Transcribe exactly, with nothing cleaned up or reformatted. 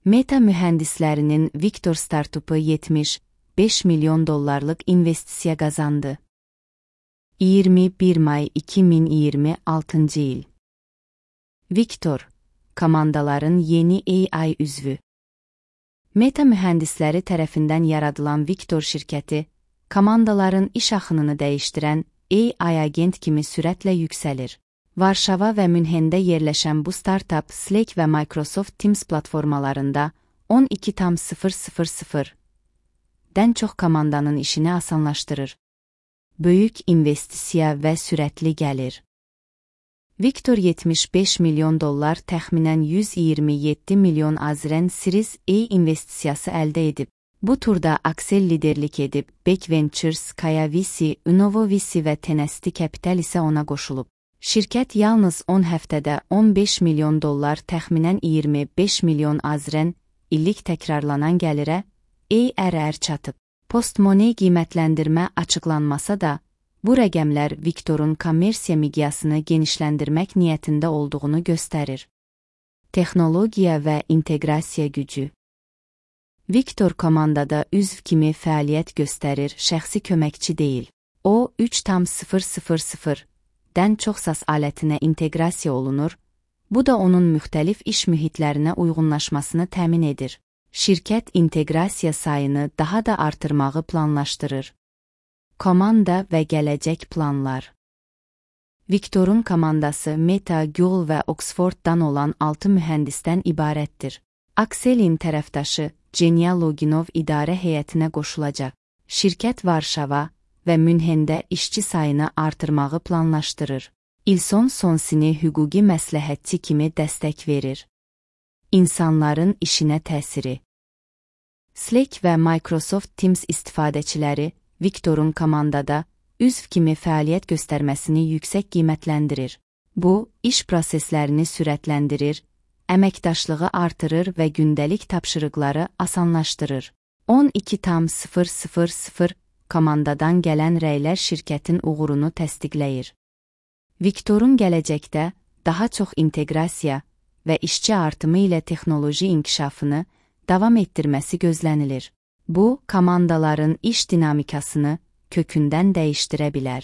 Meta mühendislərinin Victor startupu yetmiş beş milyon dollarlıq investisiya qazandı. iyirmi bir may iki min iyirmi altıncı il. Victor, komandaların yeni A I üzvü. Meta mühendisləri tərəfindən yaradılan Victor şirkəti, komandaların iş axınını dəyişdirən A I agent kimi sürətlə yüksəlir. Varşava və Münhendə yerləşən bu startup Slack və Microsoft Teams platformalarında on iki nöqtə dən çox komandanın işini asanlaşdırır. Böyük investisiya və sürətli gəlir. Victor yetmiş beş milyon dollar təxminən yüz iyirmi yeddi milyon azren Series A investisiyası əldə edib. Bu turda Accel liderlik edib, Beck Ventures, Kaya V C, Unovo V C və Tenesti Capital isə ona qoşulub. Şirkət yalnız on həftədə on beş milyon dollar təxminən iyirmi beş milyon azren illik təkrarlanan gəlirə A R R çatıb. Post-money qiymətləndirmə açıqlanmasa da, bu rəqəmlər Victor'un kommersiya miqyasını genişləndirmək niyyətində olduğunu göstərir. Texnologiya və inteqrasiya gücü. Victor komandada üzv kimi fəaliyyət göstərir, şəxsi köməkçi deyil. O, üç nöqtə dən çox S A S alətinə inteqrasiya olunur, bu da onun müxtəlif iş mühitlərinə uyğunlaşmasını təmin edir. Şirkət inteqrasiya sayını daha da artırmağı planlaşdırır. Komanda və gələcək planlar. Victor'un komandası Meta, Google və Oxford'dan olan altı mühəndisdən ibarətdir. Accel'in tərəfdaşı Genial Loginov idarə heyətinə qoşulacaq. Şirkət Varşava və Münhendə işçi sayını artırmağı planlaşdırır. İlson Sonsini hüquqi məsləhətçi kimi dəstək verir. İnsanların işinə təsiri. Slack və Microsoft Teams istifadəçiləri Victor'un komandada üzv kimi fəaliyyət göstərməsini yüksək qiymətləndirir. Bu, iş proseslərini sürətləndirir, əməkdaşlığı artırır və gündəlik tapşırıqları asanlaşdırır. on iki nöqtə komandadan gələn rəylər şirkətin uğurunu təsdiqləyir. Victor'un gələcəkdə daha çox inteqrasiya və işçi artımı ilə texnoloji inkişafını davam etdirməsi gözlənilir. Bu, komandaların iş dinamikasını kökündən dəyişdirə bilər.